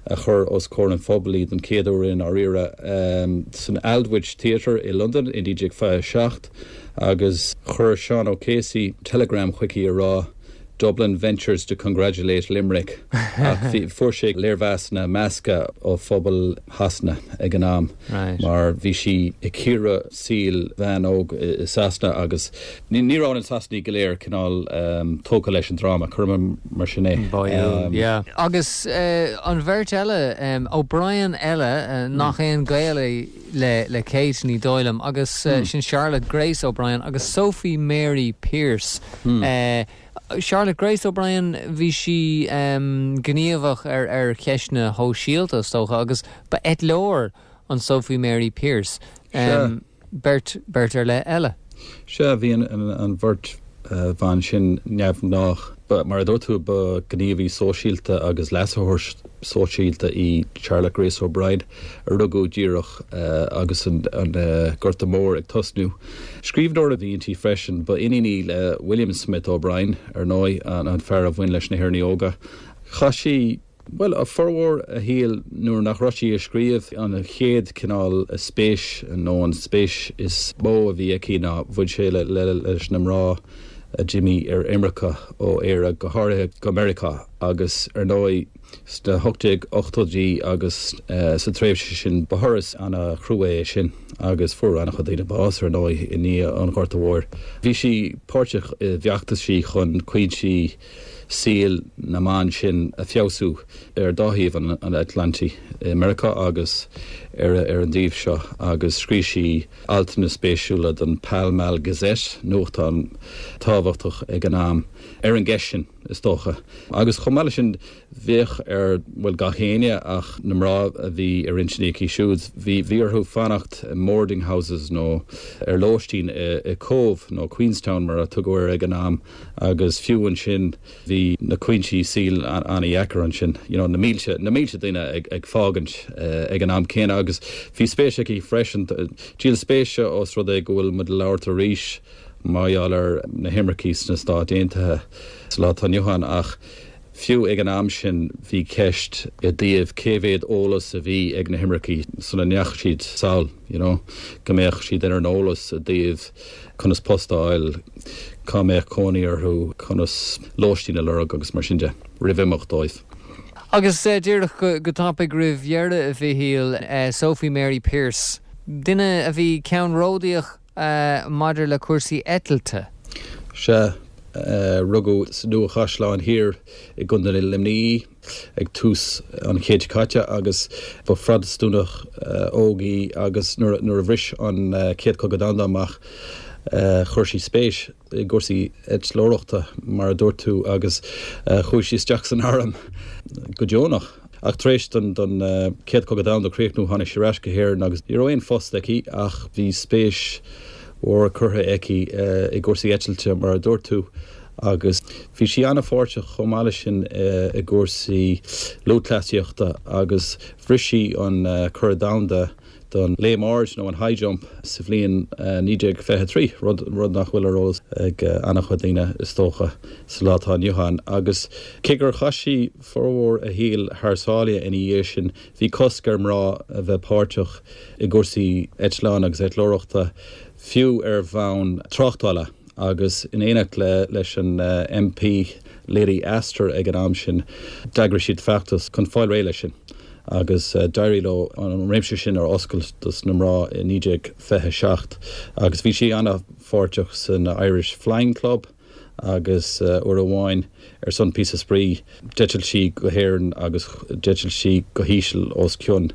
a chuir os comhair an phobail í don chéad uair i ndáiríre san Aldwych Theatre i Londain i 1927 agus chuir Seán O'Casey teileagram chuici a rá Dublin ventures to congratulate Limerick ach fuair sé léirmheasanna measctha ó phobal Shasana ag an am mar bhí sí ag cíoradh saol bhean óg i Sasana agus ní raibh na Sasanaigh go léir cineál tógtha leis an dráma, cuirim mar sin é. Báúil, yeah. Agus an bheirt eile, O'Brien eile, nach aon ghaol é le le Kate, ní dóigh liom, agus sin Charlotte Grace O'Brien agus Sophie Mary Pearse. Charlotte Grace O'Brien, bhí sí gníomhach ar ar cheisteanna shóisialta, is dócha, agus ba eitleoir an Sophie Mary Pearse. Beirt, beirt ar leith eile. Sea, bhí an bheirt bhan sin neamhghnách. Ba, mar a dúirt tú, ba ghníomhaí sóisialta agus leasaitheoir sóisialta í Charlotte Grace O'Brien, a rugadh díreach agus an Gorta Mór ag tosnú. Scríbhneoir a bhí inti freisin. Ba iníon í le William Smith O'Brien, ar ndóigh, an fear a bhain leis na hÉireannaigh Óga. Chaith sí. Bhuel, formhór a shaoil nuair nach raibh sí ag scríobh, an chéad cineál spéis nó an spéis is mó a bhí aici ná bhain sé leis na mná. a d'imigh ar imirce ó Éire, go háirithe go Meiriceá, agus ar ndóigh sna 1880idí agus sa tréimhse sin ba thuras ana-chrua é sin agus fuair ana-chuid daoine bás ar ndóigh i ndiaidh an Ghorta Mhóir. Bhí sí páirteach i bhfeachtaisí chun cúinsí saoil na mban sin a feabhsú ar dá thaobh an Atlantaigh, i Meiriceá agus ar an dtaobh seo agus scríobh sí altanna spéisiúla don Pall Mall Gazette, nuachtán tábhachtach ag an am, ar an gceist sin, is dócha. Agus chomh maith leis sin, bheadh ar, bhuel, gach éinne ach na mná a bhí ar intinn aici siúd, bhí, bhí orthu fanacht i mboarding houses nó ar lóistín i Cóbh nó Queenstown mar a tugadh air ag an am agus fiú ansin, Bhí na cúinsí saoil an-dheacair ansin, you know, na mílte, na mílte daoine ag, ag fágaint ag an am céanna agus bhí spéis aici freisin, díol spéise os rud é go bhfuil muid ag labhairt arís mar gheall ar na himircigh sna Stáit Aontaithe sa lá atá inniu ann ach fiú ag an am sin bhí ceist i dtaobh cé mhéad eolas a bhí ag na himircigh sula ndeachaigh siad sall, you know, go mbeadh siad ar an eolas i dtaobh conas post a fháil, cá mbeadh cónaí orthu, conas lóistín a lorg agus mar sin de, roimh imeacht dóibh. Agus díreach go tapaidh roimh dheireadh, a Mhichíl, Sophie Mary Pearse, duine a bhí ceannródaíoch maidir le cúrsaí eitilte. Sea, rugadh sa Nua-Chaisleán Thiar i gContae Luimnigh í. ag tús an chéid seo caite agus ba Phrotastúnach óg í agus nuair a bhris an Chéad Chogadh Domhanda amach chuir sí spéis i gcúrsaí eitleoireachta mar a dúirt tú agus chuaigh sí isteach san arm go deonach. Ach tar éis don Chéad Chogadh Domhanda críochnú tháinig sí ar ais go hÉirinn agus ní raibh aon phost aici ach bhí spéis mhór curtha aici i gcúrsaí eitilte mar a dúirt tú. agus bhí sí an-pháirteach chomh maith leis sin i gcúrsaí lúthchleasaíochta agus bhris sí an curadh domhanda don léim ard nó an high jump sa bhliain 1923, rud rud nach bhfuil ar eolas ag an-chuid daoine is dócha sa lá atá inniu ann. Agus cé gur chaith sí formhór a shaoil thar sáile ina dhiaidh sin, bhí cosc ar mná a bheith páirteach i gcúrsaí eitleán agus eitleoireachta fiú ar bhonn tráchtála. agus in éineacht leis an MP Lady Astor ag an am sin, d'eagraigh siad feachtas chun fáil réidh leis sin agus d'éirigh leo an réimse sin a oscailt dos na mná i 1927 agus bhí sí an-pháirteach san Irish Flying Club agus uair amháin ar son píosa spraoi d'eitil sí go hÉirinn agus d'eitil sí go híseal os cionn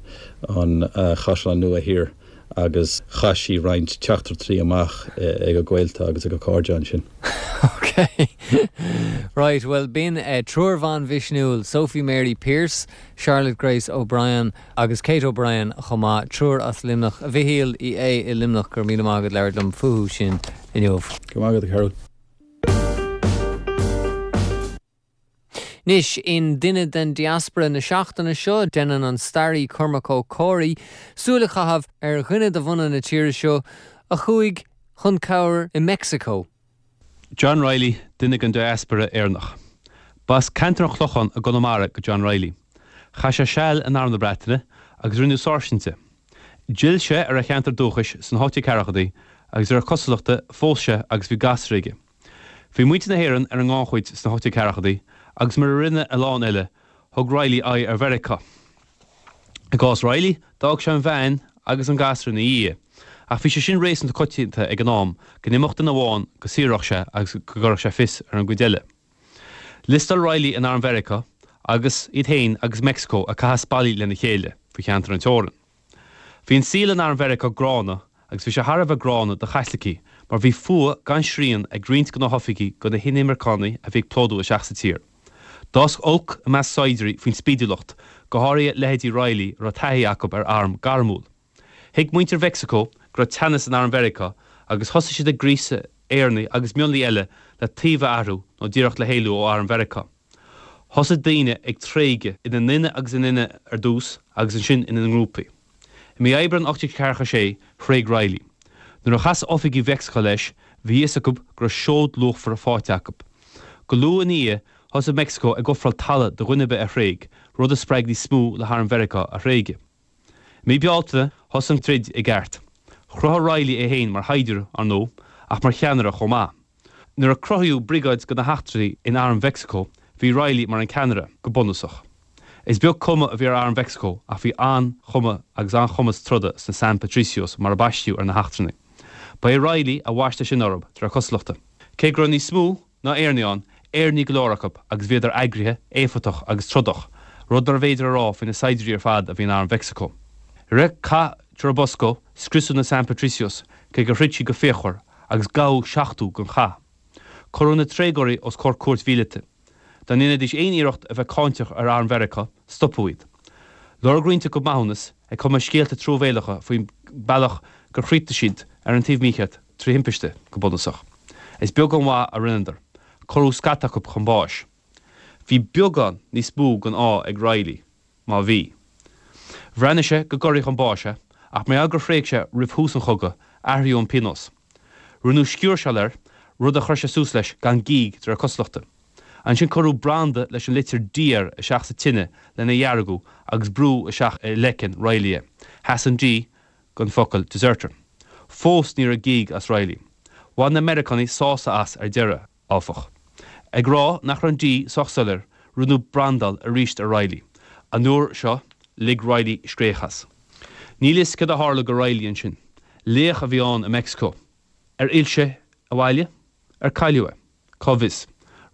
an Chaisleáin Nua Thiar. agus chaith sí roinnt teachtaireachtaí amach ag a gaolta agus ag a cairde ansin. Ok. Right, bhuel b'in triúr bhan mhisniúil, Sophie Mary Pearse, Charlotte Grace O'Brien agus Kate O'Brien chomh maith, triúr as Luimneach. A Mhichíl Uí Aodha i Luimneach, go raibh míle maith agat labhairt liom fúthu sin inniu. Go raibh maith agat, a Chearúil. Anois, in Duine den Diaspora na seachtaine seo, déanann an staraí Cormac Ó Comhraí súil a chaitheamh ar dhuine de bhunadh na tíre seo a chuaigh chun cabhair i Meicsiceo. John Reilly, duine den diaspora Éireannach. B'as ceantar an Chlocháin i gConamara do John Reilly. Chaith sé seal in Arm na Breataine agus rinneadh sáirsint de. D'fhill sé ar a cheantar dúchais sna 1840idí agus de réir cosúlachta phós sé agus bhí gasra aige. Bhí muintir na hÉireann ar an ngannchuid sna 1840idí agus mar a rinne a lán eile, thug Reilly aghaidh ar Mheiriceá. I gcás Reilly, d'fhág sé an bhean agus an gasra ina dhiaidh, ach bhí sé sin réasúnta coitianta ag an am, go n-imeodh duine amháin, go saothródh sé agus go gcuirfeadh sé fios ar an gcuid eile. Liostáil Reilly in arm Mheiriceá agus iad féin agus Meicsiceo ag caitheamh spallaí lena chéile faoi cheantar an teorann. Bhí an saol in arm Mheiriceá gránna agus bhí sé thar a bheith gránna do Chaitlicigh mar bhí fuath gan srian ag roinnt de na hoifigigh do na hinimirceánaigh a bhí ag plódú isteach sa tír. D'fhás olc i measc saighdiúirí faoin spídiúlacht, go háirithe leithéidí Reilly a raibh taithí acu ar arm gairmiúil. Thuig muintir Mheicsiceo go raibh teannas in arm Mheiriceá agus thosaigh siad ag gríosadh Éireannaigh agus mionlaigh eile le taobh a athrú nó díreach le héalú ó arm Mheiriceá. Thosaigh daoine ag tréigeadh, ina nduine agus ina nduine ar dtús agus ansin ina ngrúpaí. I mí Aibreáin 1846, thréig Reilly. Nuair a chas oifigigh Mheicsiceo leis, bhí a fhios acu go raibh seoid luachmhar faighte acu. Go luath ina dhiaidh, thosaigh Meicsiceo ag ofráil talamh do dhuine ar bith a thréig, rud a spreag níos mó le harm Mheiriceá a thréigeadh. I mí Bealtaine, thosaigh an troid i gceart. Chruthaigh Reilly é féin mar shaighdiúir, ar ndóigh, ach mar cheannaire chomh maith. Nuair a cruthaíodh briogáid de na heachtraithe in Arm Mheicsiceo, bhí Reilly mar an ceannaire, go bunúsach. Is beag cuma a bhí ar Arm Mheicsiceo ach bhí an-chuma agus an-chumas troda sna San Patricios mar a baisteadh ar na heachtrannaigh. Ba é Reilly a bhaist é sin orthu, de réir cosúlachta. Cé go raibh níos mó ná Éireannaigh ann, Éireannaigh go leor acu agus bhíodar eagraithe, éifeachtach agus trodach, rud nárbh fhéidir a rá faoi na saighdiúirí ar fad a bhí in Arm Mheicsiceo. I rith Cath Churubusco, scriosadh na San Patricios, cé gur throid siad go fíochmhar, agus gabhadh 70 don chath. Cuireadh na tréigeoirí os comhair cúirt mhíleata. Dá ndéanfaidís aon iarracht a bheith cáinteach ar arm Mheiriceá, stopadh iad. Lorg roinnt acu maithiúnas, ag cumadh scéalta truamhéalacha faoin bealach gur chríochnaigh siad ar an taobh mícheart, trí thimpiste, go bunúsach. Is beag an mhaith a rinneadar. Cuireadh scata acu chun báis. Bhí beagán níos mó den ádh ag Reilly. má bhí. Bhreathnaigh sé go gcuirfí chun báis é, ach mar gheall gur thréig sé roimh thús an chogaidh, athraíodh an pionós. Rinneadh sciúrsáil air, rud a chuir sé suas leis gan gíog de réir cosúlachta. Ansin cuireadh branda leis an litir D air isteach sa tine lena dheargú agus brúdh isteach i leiceann Reilly é. Sheas an D don focal deserter. Fós ní raibh gíog as Reilly. Bhain na Meiriceánaigh sásamh as ar deireadh. áfach. Ag rá nach raibh an D sách soiléir, rinneadh brandáil arís ar Reilly. An uair seo, lig Reilly scréach as. Níl fhios céard a tharla go Reilly ansin. Laoch a bhí ann i Meicsiceo. Ar fhill sé abhaile? Ar cailleadh é? Cá bhfios.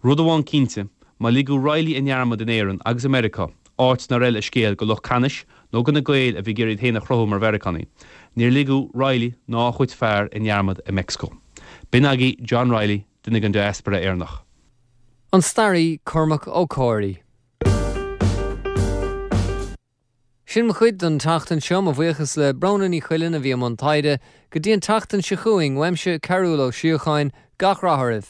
Rud amháin cinnte, má ligeadh Reilly i ndearmad in Éirinn agus i Meiriceá, áit nár fheil a scéal go lucht ceannais nó go na Gaeil a bhí ag iarraidh iad féin a chruthú mar Mheiriceánaigh, níor ligeadh Reilly ná a chuid fear i ndearmad i Meicsiceo. B'in agaibh John Reilly, duine den diaspora Éireannach. An staraí Cormac Ó Comhraí. Sin mo chuid don tseachtain seo. Mo bhuíochas le Bróna Ní Chuilinn a bhí i mbun taighde. Go dtí an tseachtain seo chugainn, uaimse, Cearúll Ó Síocháin, gach rath oraibh.